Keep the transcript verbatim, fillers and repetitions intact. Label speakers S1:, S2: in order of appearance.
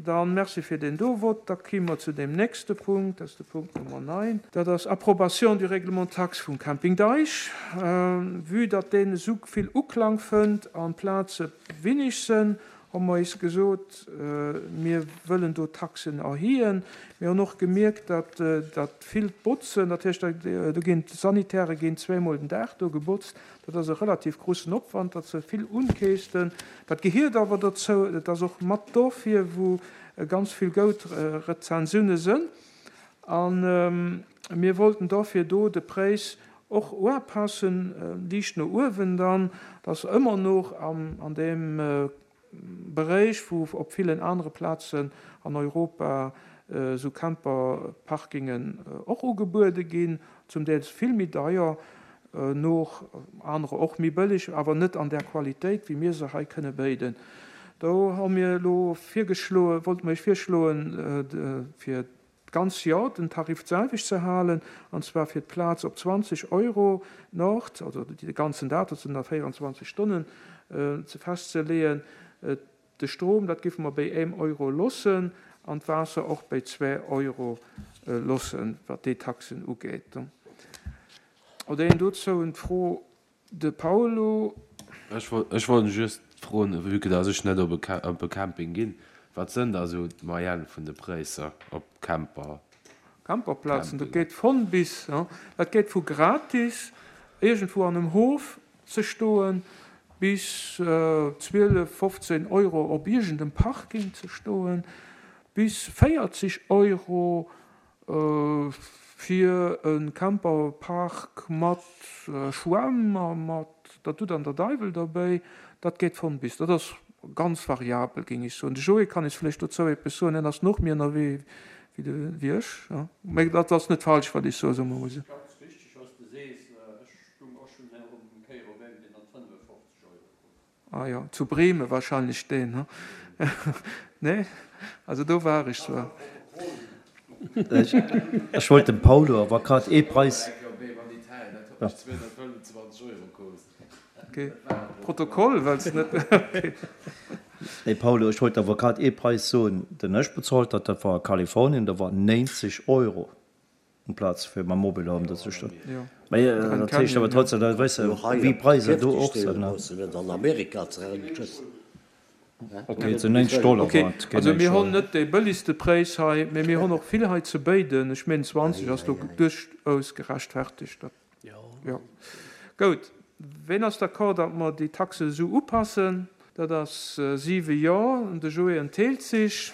S1: Dann merci fir deen do Vott. Da ki mer zu deem nächste Punkt, dat ass de Punkt Nummer neun. Dat ass Approbation du Règlement taxe vum Camping Deich. Vue datt deen esou vill Uklang fënnt an d'Plaze winnig sënn, hu mer eis gesot, mir wëllen do d'Taxen erhien. Mir hunn och gemierkt, datt dat villt Botzen, dat heescht, do ginn d'Sanitäre ginn zweemol den Dag do gebotzt, dat ass e relativ grussen Opwand, datt se vill unkeesten. Dat gehiert awer dozou, et ass och mat dofir, wou ganz vill goud Rezensiounen sënn. A mir wollten dofir do de Präis och uapassen, liicht no uewen dann, datt ëmmer noch an deem Beréich, wou op villen anere Plazen an Europa esou Camperparkingen och ugebuede ginn, zum Deel vill méi deier, noch anerer och méi bëlleg, awer net an där Qualitéit, wéi mir se hei kënne béiden. Do hu mir elo virgeschloen, wollte mer iech virschloen, fir d'ganz Joer den Tarif d'selwecht ze halen, an zwar fir d'Plaz op zwanzeg Euro d'Nord, also de ganzen Dag, dat sinn da véierundzwanzeg Stonnen, ze festzeleeën. De Strom, dat géife mer béi éem Euro loossen, an d'Waasser och béi zwee Euro loossen, wat déi Taxen ugeet. Oder een dozou en d'Fro? De Paulo.
S2: Ech wollt just froen, vue que dass ech net op e Camping ginn, wat sënn da sou d'Moyenne vun de Präisser op Camper?
S1: Camperplazen, dat geet von bis, dat geet vu gratis iergendwou an em Hof ze stoen, bis zwielef, fofzéin Euro op iergendem Parking ze stoen, bis véierzeg Euro fir e Camperpark mat Schwämm a mat der Dutt an der Deiwel derbäi. Dat geet von bis. Dat ass ganz variabel, géing ech soen. De Joé kann eis vläicht dozou eppes soen, hien ass nach méi ënnerwee wéi ech. Mä dat ass net falsch, wat ech soen, soe mer emol esou.
S3: Ganz richteg, was de sees. Ech stung och schonn eng Kéier op engem, deen hat fënnefofzeg Euro krut.
S1: Ah jo, zu Bremen wahrscheinlech deen, he? Nee? Also do war ech zwar.
S4: Ech wollt dem Paulo awer grad ee Preis.
S1: Okay. Protokoll, well s net. Okay.
S4: Nee Paulo, ech wollt awer grad ee Preis soen, den ech bezolt hat, dat war a Kalifornien, da war nénzeg Euro amplaz fir mam Mobilhome do ze stoen. Mä dat heescht awer trotzdem, da weess de wéi d'Preiser do och sinn. Ok, et sinn nénzeg Dollar
S1: Ok,
S4: war et,
S1: also
S4: géint
S1: mir
S4: nénzeg
S1: honn
S4: Euro.
S1: net dee bëlligste Präis hei, mä mir honn och vill hei ze béiden. Ech meen zwanzeg ass do duerchaus gerechtfertigt. Dat, jo. Goud. Ween ass d'accord, datt mer déi Taxe esou upassen? Dat ass siwe Jo, de Joé entheelt sech.